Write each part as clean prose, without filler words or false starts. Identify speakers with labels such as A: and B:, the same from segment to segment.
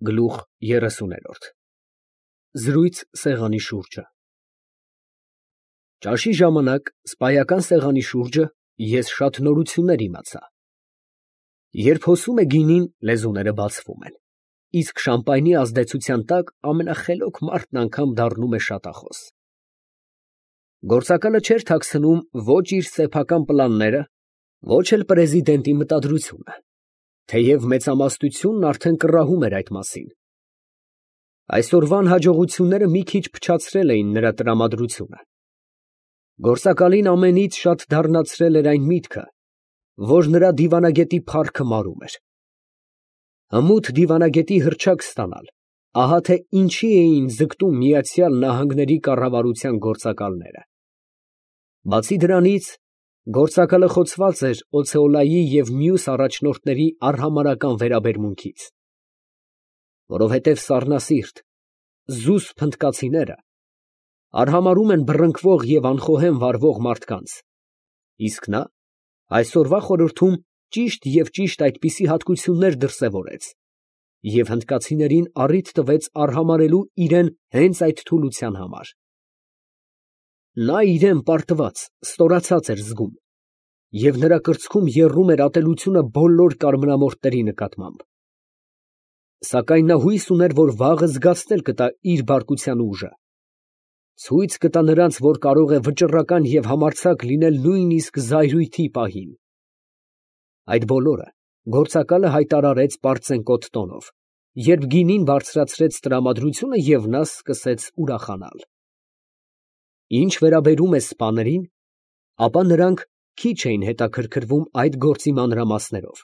A: Գլուխ 30 Զրույց սեղանի շուրջը Ճաշի ժամանակ սպայական սեղանի շուրջը ես շատ նորություններ իմացա։ Երբ հոսում է գինին, լեզուները բացվում են, իսկ շամպայնի ազդեցության տակ ամենախելոք մարդն անգամ դառնում է շատախոս։ Գործակալը չէր թաքցնում ոչ իր սեփական պլանները, ոչ էլ պրեզիդենտի մտադրությունը, թեև մեծամասնությունն արդեն կռահում էր այդ մասին։ Այսօրվան հաջողությունները մի քիչ փչացրել էին նրա տրամադրությունը։ Գործակալին ամենից շատ դառնացրել էր այն միտքը, որ նրա դիվանագետի փառքը մարում էր։ Հմուտ դիվանագետի հռչակ ստանալ, ահա թե ինչի էին ձգտում Միացյալ Նահանգների կառավարության գործակալները։ Բացի դրանից, գործակալը խոցված էր Օցեոլայի և մյուս առաջնորդների արհամարհական վերաբերմունքից, որովհետև սառնասիրտ, զուսպ հնդկացիները արհամարհում են բռնկվող և անխոհեմ վարվող մարդկանց, իսկ նա այսօրվա խորհրդում ճիշտ և ճիշտ այդպիսի հատկություններ դրսևորեց և հնդկացիներին առիթ տվեց արհամարհելու իրան հենց այդ թուլության համար։ Նա իրան պարտված, ստորացած էր զգում, և նրա կրծքում եռում էր ատելությունը բոլոր կարմրամորթների նկատմամբ։ Սակայն նա հույս ուներ, որ վաղը զգացնել կտա իր բարկության ուժը, ցույց կտա նրանց, որ կարող է վճռական և համարձակ լինել նույնիսկ զայրույթի պահին։ Այդ բոլորը գործակալը հայտարարեց պարծենկոտ տոնով, երբ գինին բարձրացրեց տրամադրությունը և նա սկսեց ուրախանալ։ Ինչ վերաբերում է սպաներին, ապա նրանք քիչ էին հետաքրքրվում այդ գործի մանրամասներով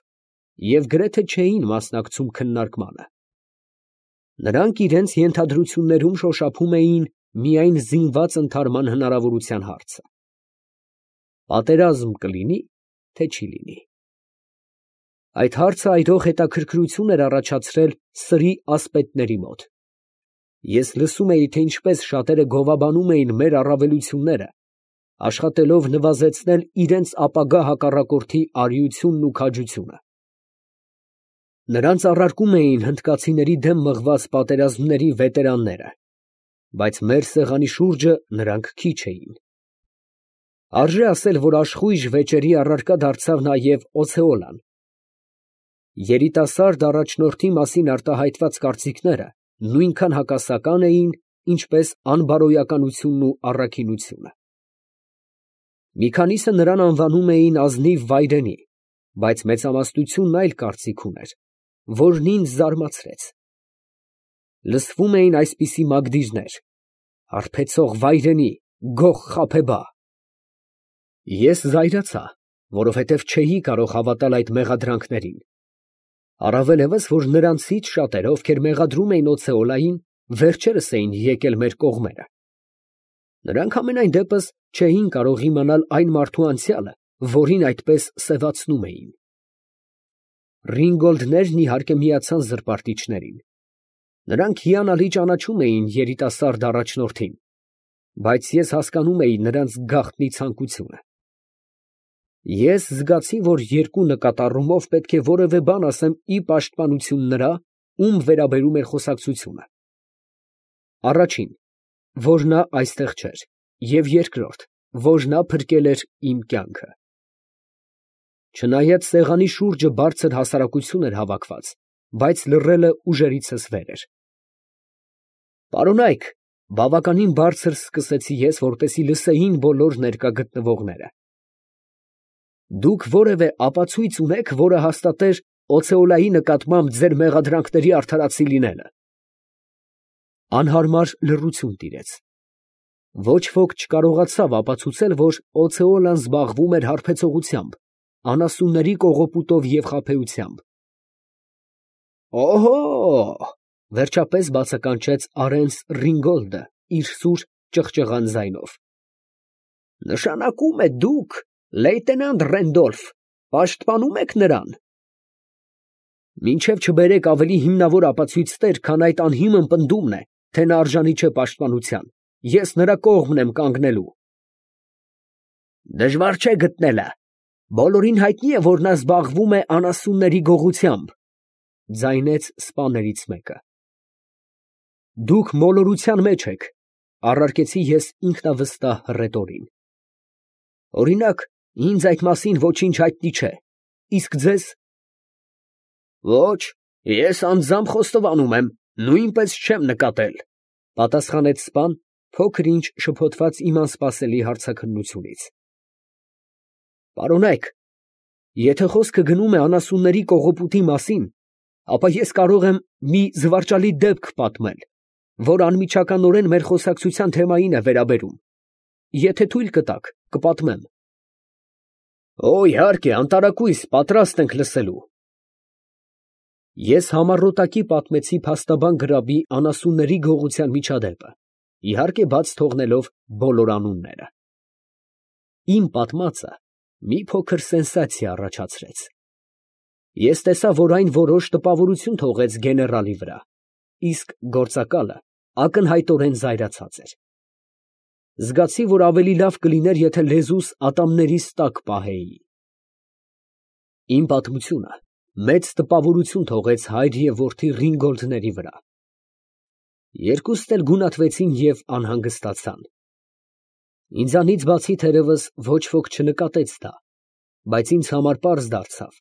A: և գրեթե չէին մասնակցում քննարկմանը։ Նրանք իրենց ենթադրություններում շոշափում էին միայն զինված ընդհարման հնարավորության հարցը։ Պատերազմ կլինի, թե չի լինի։ Այդ հարցը այրող հետաքրքրություն էր առաջացրել սրի ասպետների մոտ։ Ես լսում էի, թե ինչպես շատերը գովաբանում էին մեր առավելությունները, աշխատելով նվազեցնել իրենց ապագա հակառակորդի արիությունն ու քաջությունը։ Նրանց առարկում էին հնդկացիների դեմ մղված պատերազմների վետերանները, բայց մեր սեղանի շուրջը նրանք քիչ էին։ Արժե ասել, որ աշխույժ վեճերի առարկա դարձավ նաև Օցեոլան։ Երիտասարդ առաջնորդի մասին արտահայտված կարծիքները նույնքան հակասական էին, ինչպես անբարոյականությունն ու առաքինությունը։ Մի քանիսը նրան անվանում էին ազնիվ վայրենի, բայց մեծամասնությունն այլ կարծիք ուներ, որն ինձ զարմացրեց։ Լսվում էին այսպիսի մագդիրներ. «Հարբեցող վայրենի, գող խաբեբա»։ Ես զայրացա, որովհետև չէի կարող հավատալ այդ մեղադրանքներին, առավելևս, որ նրանցից շատերը, ովքեր մեղադրում էին Օցեոլային, վերջերս էին եկել մեր կողմերը։ Նրանք համենայն դեպս չէին կարող իմանալ այն մարդու անցյալը, որին այդպես սևացնում էին։ Ռինգոլդներն իհարկե միացան զրպարտիչներին։ Նրանք հիանալի ճանաչում էին երիտասարդ առաջնորդին, բայց ես հասկանում էի նրանց գաղտնի ցանկությունը։ Ես զգացի, որ երկու նկատառումով պետք է որևէ բան ասեմ ի պաշտպանություն նրա, ում վերաբերում էր խոսակցությունը. առաջին, որ նա այստեղ չէր, և երկրորդ, որ նա փրկել էր իմ կյանքը։ Չնայած սեղանի շուրջը բարձր հասարակություն էր հավաքված, բայց լռելը ուժերիցս վեր էր։ Պարոնայք, բավականին բարձր սկսեցի ես, որպեսզի լսեին բոլոր ներկա գտնվողները, դուք որևէ ապացույց ունե՞ք, որը հաստատեր Օցեոլայի նկատմամբ ձեր մեղադրանքների արդարացի լինելը։ Անհարմար լռություն տիրեց։ Ոչ ոք չկարողացավ ապացուցել, որ Օցեոլան զբաղվում էր հարբեցողությամբ, անասունների կողոպուտով և խաբեությամբ։ Օհո՜, վերջապես բացականչեց Արենս Ռինգոլդը իր սուր ճղճղան ձայնով։ Նշանակում է դուք, լեյտենանտ Ռենդոլֆ, պաշտպանում եք նրան։ Մինչև չբերեք ավելի հիմնավոր ապացույցներ, քան այդ անհիմն պնդումն է, թե նա արժանի չէ պաշտպանության, ես նրա կողմն եմ կանգնելու։ Դժվար չէ գտնելը։ Բոլորին հայտնի է, որ նա զբաղվում է անասունների գողությամբ, ձայնեց սպաներից մեկը։ Դուք մոլորության մեջ եք, առարկեցի ես ինքնավստահ հռետորին։ Օրինակ, ինձ այդ մասին ոչինչ հայտնի չէ, իսկ ձեզ։ Ոչ, ես անձամբ խոստովանում եմ, նույնպես չեմ նկատել, պատասխանեց սպան, փոքր ինչ շփոթված իմ անսպասելի հարցաքննությունից։ Պարոնայք, եթե խոսքը գնում է անասունների կողոպուտի մասին, ապա ես կարող եմ մի զվարճալի դեպք պատմել, որ անմիջականորեն մեր խոսակցության թեմային է վերաբերում։ Եթե թույլ կտաք, կպատմեմ։ Օ, իհարկե, անտարակույս, պատրաստ ենք լսելու։ Ես համառոտակի պատմեցի փաստաբան գրաբի անասունների գողության միջադեպը, իհարկե բաց թողնելով բոլոր անունները։ Իմ պատմածը մի փոքր սենսացիա առաջացրեց։ Ես տեսա, որ այն որոշ տպավորություն թողեց գեներալի վրա, իսկ գործակալը ակնհայտորեն զայրացած էր։ Զգացի, որ ավելի լավ կլիներ, եթե լեզուս ատամներիս տակ պահեի։ Իմ պատմությունը մեծ տպավորություն թողեց հայր և որդի Ռինգոլդների վրա։ Երկուստ էլ գունատվեցին և անհանգստացան։ Ինձանից բացի թերևս ոչ ոք չնկատեց դա, բայց ինձ համար պարզ դարձավ,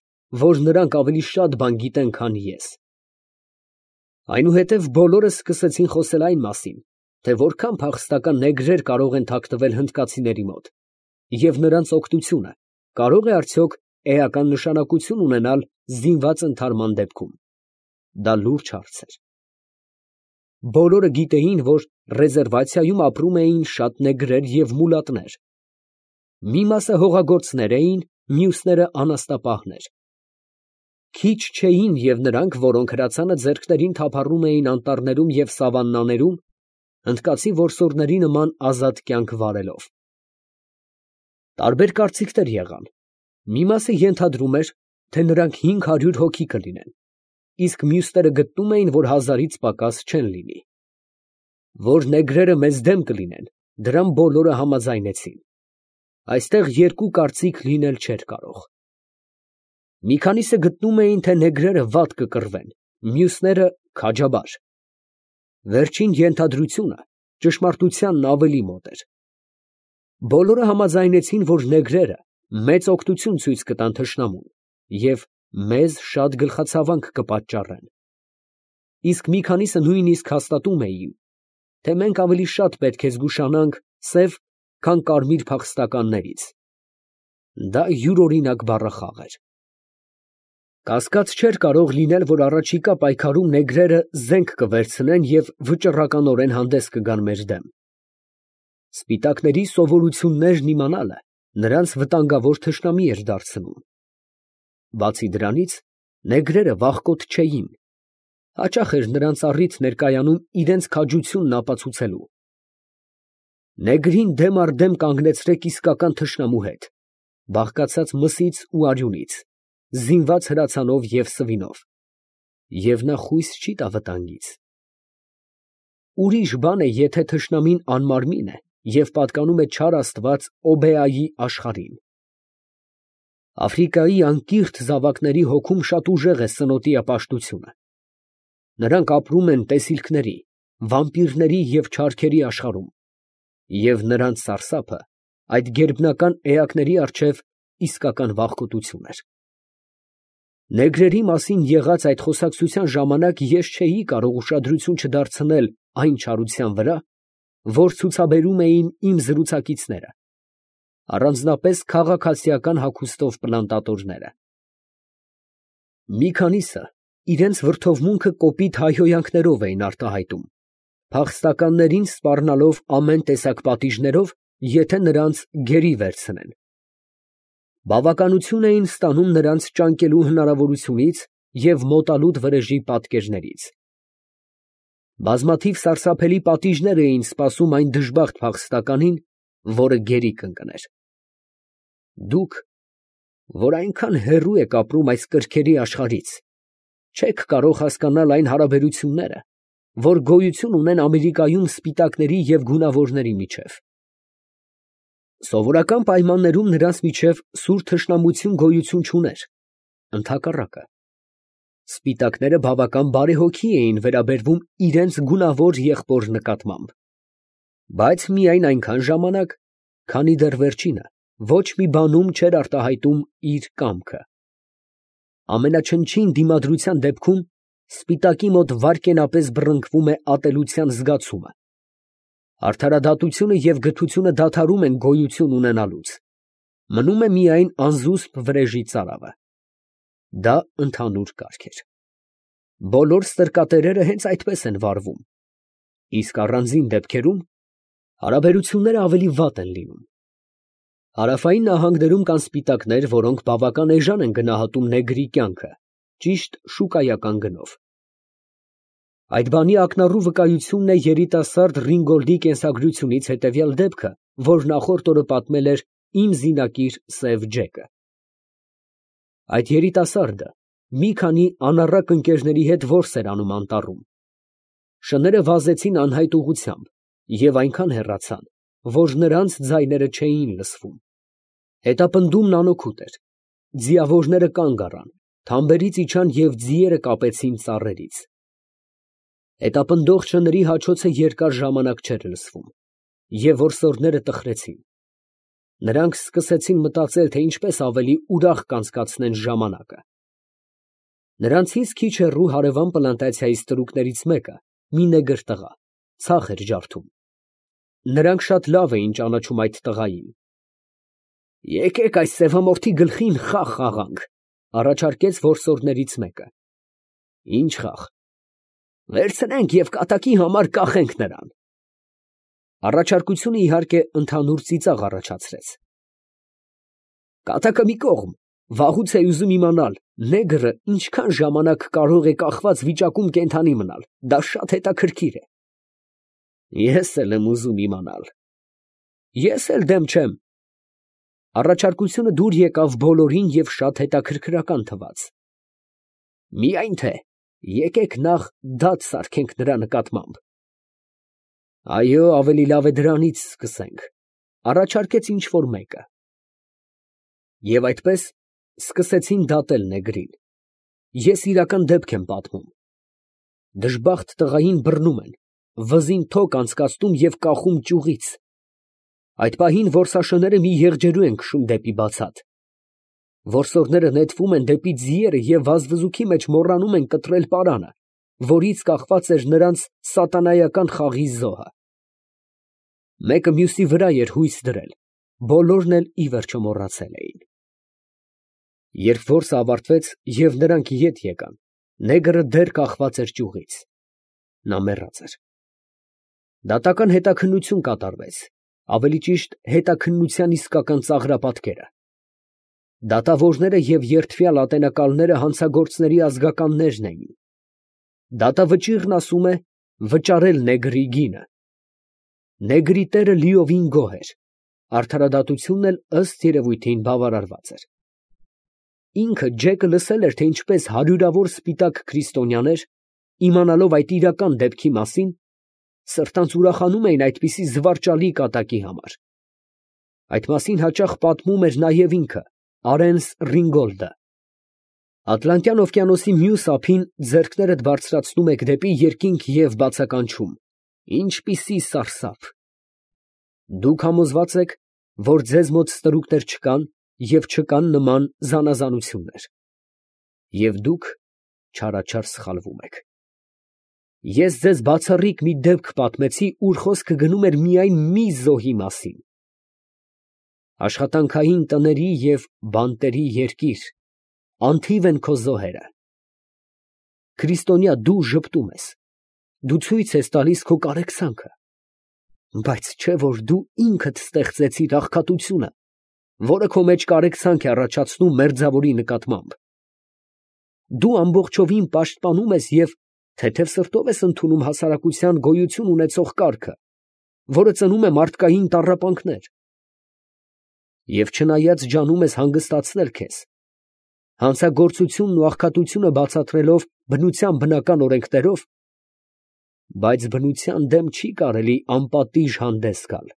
A: որ նրանք ավելի շատ բան գիտեն, քան ես։ Այնուհետև բոլորը սկսեցին խոսել այն մասին, թե որքան փախստական նեգրեր կարող են թաքնվել հնդկացիների մոտ, և նրանց օգնությունը կարող է արդյոք էական նշանակություն ունենալ զինված ընդհարման դեպքում։ Դա լուրջ հարց էր։ Բոլորը գիտեին, որ ռեզերվացիայում ապրում էին շատ նեգրեր և մուլատներ։ Մի մասը հողագործներ էին, մյուսները անաստապահներ։ Քիչ չէին և նրանք, որոնք հրացանը ձեռքներին թափառում էին անտառներում և սավաննաներում, հնդկացի որսորդների նման ազատ կյանք վարելով։ Տարբեր կարծիքներ եղան։ Մի մասը ենթադրում էր, թե նրանք 500 հոգի կլինեն, իսկ մյուսները գտնում էին, որ 1000-ից պակաս չեն լինի։ Որ նեգրերը մեզ դեմ կլինեն, դրան բոլորը համաձայնեցին։ Այստեղ երկու կարծիք լինել չէր կարող։ Մի քանիսը գտնում էին, թե նեգրերը վատ կկռվեն, մյուսները՝ քաջաբար։ Վերջին ենթադրությունը ճշմարտությանն ավելի մոտ էր։ Բոլորը համաձայնեցին, որ նեգրերը մեծ օգնություն ցույց կտան թշնամուն և մեզ շատ գլխացավանք կպատճառեն։ Իսկ մի քանիսը նույնիսկ հաստատում էին, թե մենք ավելի շատ պետք է զգուշանանք սև, քան կարմիր փախստականներից։ Դա յուրօրինակ բառախաղ էր։ Կասկած չէր կարող լինել, որ առաջիկա պայքարում նեգրերը զենք կվերցնեն և վճռականորեն հանդես կգան մեր դեմ։ Սպիտակների սովորություններն իմանալը նրանց վտանգավոր թշնամի էր դարձնում։ Բացի դրանից, նեգրերը վախկոտ չէին։ Հաճախ էր նրանց առիթ ներկայանում իրենց քաջությունն ապացուցելու։ Նեգրին դեմ առ դեմ կանգնեցրեք իսկական թշնամու հետ, բաղկացած մսից ու արյունից, զինված հրացանով և սվինով, և նա խույս չի տա վտանգից։ Ուրիշ բան է, եթե թշնամին անմարմին է և պատկանում է չար աստված Օբեայի աշխարհին։ Աֆրիկայի անկիրթ զավակների հոգում շատ ուժեղ է սնոտի ապաշտությունը։ Նրանք ապրում են տեսիլքների, վամպիրների և չարքերի աշխարհում, և նրանց սարսափը այդ գերբնական էակների առջև իսկական վախկոտություն էր։ Նեգրերի մասին եղած այդ խոսակցության ժամանակ ես չէի կարող ուշադրություն չդարձնել այն չարության վրա, որ ցուցաբերում էին իմ զրուցակիցները, առանձնապես քաղաքացիական հագուստով պլանտատորները։ Մի քանիսը իրենց վրդովմունքը կոպիտ հայհոյանքներով էին արտահայտում, փախստականներին սպառնալով ամեն տեսակ պատիժներով, եթե նրանց գերի վերցնեն։ Բավականություն էին ստանում նրանց ճանկելու հնարավորությունից և մոտալուտ վրեժի պատկերներից։ Բազմաթիվ սարսափելի պատիժներ էին սպասում այն դժբախտ փախստականին, որը գերի կընկներ։ Դուք, որ այնքան հեռու եք ապրում այս կրքերի աշխարհից, չեք կարող հասկանալ այն հարաբերությունները, որ գոյություն ունեն Ամերիկայում սպիտակների և գունավորների միջև։ Սովորական պայմաններում նրանց միջև սուր թշնամություն գոյություն չուներ, ընդհակառակը։ Սպիտակները բավական բարեհոգի էին վերաբերվում իրենց գունավոր եղբոր նկատմամբ, բայց միայն այնքան ժամանակ, քանի դեռ վերջինը ոչ մի բանում չէր արտահայտում իր կամքը։ Ամենաչնչին դիմադրության դեպքում սպիտակի մոտ վայրկենապես բռնկվում է ատելության զգացումը։ Արդարադատությունը և գթությունը դադարում են գոյություն ունենալուց, մնում է միայն անզուսպ վրեժի ծարավը։ Դա ընդհանուր կարգ էր։ Բոլոր ստրկատերերը հենց այդպես են վարվում, իսկ առանձին դեպքերում հարաբերությունները ավելի վատ են լինում։ Հարավային նահանգներում կան սպիտակներ, որոնք բավական էժան են գնահատում նեգրի կյանքը, ճիշտ շուկայական գնով։ Այդ բանի ակնառու վկայությունն է երիտասարդ Ռինգոլդի կենսագրությունից հետևյալ դեպքը, որ նախորդ օրը պատմել էր իմ զինակիր Սև Ջեկը։ Այդ երիտասարդը մի քանի անառակ ընկերների հետ որս էր անում անտառում։ Շները վազեցին անհայտ ուղղությամբ և այնքան հեռացան, որ նրանց ձայները չէին լսվում։ Հետապնդումն անօգուտ էր։ Ձիավորները կանգ առան, թամբերից իջան և ձիերը կապեցին ծառերից։ Հետապնդող շների հաչոցը երկար ժամանակ չէր լսվում, և որսորդները տխրեցին։ Նրանք սկսեցին մտածել, թե ինչպես ավելի ուրախ կանցկացնեն ժամանակը։ Նրանցից քիչ հեռու հարևան պլանտացիայի ստրուկներից մեկը, մի նեգր տղա, ցախ էր ջարդում։ Նրանք շատ լավ էին ճանաչում այդ տղային։ «Եկեք այս սևամորթի գլխին խաղ խաղանք», առաջարկեց որսորդներից մեկը։ «Ի՞նչ խաղ»։ «Վերցնենք և կատակի համար կախենք նրան»։ Առաջարկությունը, իհարկե, ընդհանուր ծիծաղ առաջացրեց։ «Կատակը մի կողմ, վաղուց էի ուզում իմանալ, նեգրը ինչքան ժամանակ կարող է կախված վիճակում կենդանի մնալ, դա շատ հետաքրքիր է»։ «Ես էլ եմ ուզում իմանալ»։ «Ես էլ դեմ չեմ»։ Առաջարկությունը դուր եկավ բոլորին և շատ հետաքրքրական թվաց։ «Միայն թե եկեք նախ դատ սարքենք նրա նկատմամբ»։ «Այո, ավելի լավ է դրանից սկսենք», առաջարկեց ինչ֊որ մեկը։ Եվ այդպես սկսեցին դատել նեգրին։ Ես իրական դեպք եմ պատմում։ Դժբախտ տղային բռնում են, վզին թոք անցկացնում և կախում ճյուղից։ Այդ պահին որսաշները մի եղջերու են քշում դեպի բացատ։ Որսորդները նետվում են դեպի ձիերը և վազվզուքի մեջ մոռանում են կտրել պարանը, որից կախված էր նրանց սատանայական խաղի զոհը։ Մեկը մյուսի վրա էր հույս դրել, բոլորն էլ ի վերջո մոռացել էին։ Երբ որսը ավարտվեց և նրանք ետ եկան, նեգրը դեռ կախված էր ճյուղից։ Նա մեռած էր։ Դատական հետաքննություն կատարվեց, ավելի ճիշտ հետաքննության իսկական ծաղրապատկերը։ Դատավորները և երդվյալ ատենակալները հանցագործների ազգականներն էին։ Դատավճիռն ասում է վճարել նեգրի գինը։ Նեգրի տերը լիովին գոհ էր, արդարադատությունն էլ ըստ երևույթին բավարարված էր։ Ինքը Ջեկը լսել էր, թե ինչպես հարյուրավոր սպիտակ քրիստոնյաներ, իմանալով այդ իրական դեպքի մասին, սրտանց ուրախանում էին այդպիսի զվարճալի կատակի համար։ Այդ մասին հաճախ պատմում էր նաև ինքը, Արենս Ռինգոլդը։ Ատլանտյան օվկիանոսի մյուս ափին ձեռքներդ բարձրացնում եք դեպի երկինք և բացականչում. ինչպիսի սարսափ։ Դուք համոզված եք, որ ձեզ մոտ ստրուկներ չկան և չկան նման զանազանություններ։ Եվ դուք չարաչար սխալվում եք։ Ես ձեզ բացառիկ մի դեպք պատմեցի, ուր խոսքը գնում էր միայն մի զոհի մասին։ Աշխատանքային տների և բանտերի երկիր, անթիվ են քո զոհերը։ Քրիստոնյա, դու ժպտում ես, դու ցույց ես տալիս քո կարեկցանքը, բայց չէ՞ որ դու ինքդ ստեղծեցիր աղքատությունը, որը քո մեջ կարեկցանք է առաջացնում մերձավորի նկատմամբ։ Դու ամբողջովին պաշտպանում ես և թեթև սրտով ես ընդունում հասարակության գոյություն ունեցող կարգը, որը ծնում է մարդկային տառապանքներ։ Եվ չնայած ջանում ես հանգստացնել քեզ, հանցագործությունն ու աղքատությունը բացատրելով բնության բնական օրենքներով, բայց բնության դեմ չի կարելի անպատիժ հանդես գալ։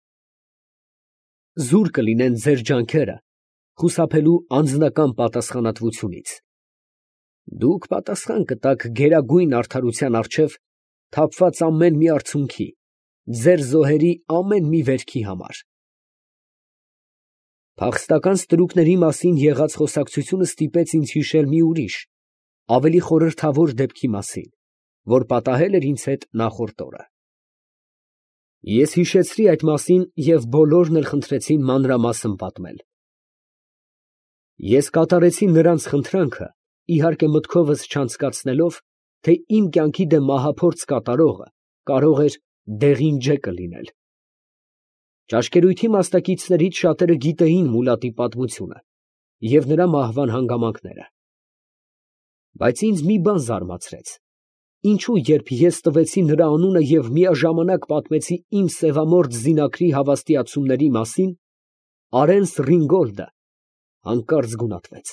A: Զուր կլինեն ձեր ջանքերը խուսափելու անձնական պատասխանատվությունից։ Դուք պատասխան կտաք գերագույն արդարության առջև թափված ամեն մի արցունքի, ձեր զոհերի ամեն մի վերքի համար։ Փախստական ստրուկների մասին եղած խոսակցությունը ստիպեց ինձ հիշել մի ուրիշ, ավելի խորհրդավոր դեպքի մասին, որ պատահել էր ինձ հետ նախորդ օրը։ Ես հիշեցրի այդ մասին և բոլորն էլ խնդրեցին մանրամասն պատմել։ Ես կատարեցի նրանց խնդրանքը, իհարկե մտքովս չանցկացնելով, թե իմ կյանքի դեմ մահափորձ կատարողը կարող էր դեղին ջեկը լինել։ Ճաշկերույթի մասնակիցներից շատերը գիտեին Մուլադի պատմությունը և նրա մահվան հանգամանքները։ Բայց ինձ մի բան զարմացրեց. ինչու երբ ես տվեցի նրա անունը և միաժամանակ պատմեցի իմ սևամորթ զինակրի հավաստիացումների մասին, Արենս Ռինգոլդը հանկարծ գունատվեց,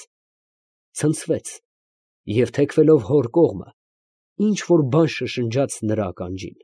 A: ցնցվեց և թեքվելով հոր կողմը, ինչ որ բան շշնջաց նրա ականջին։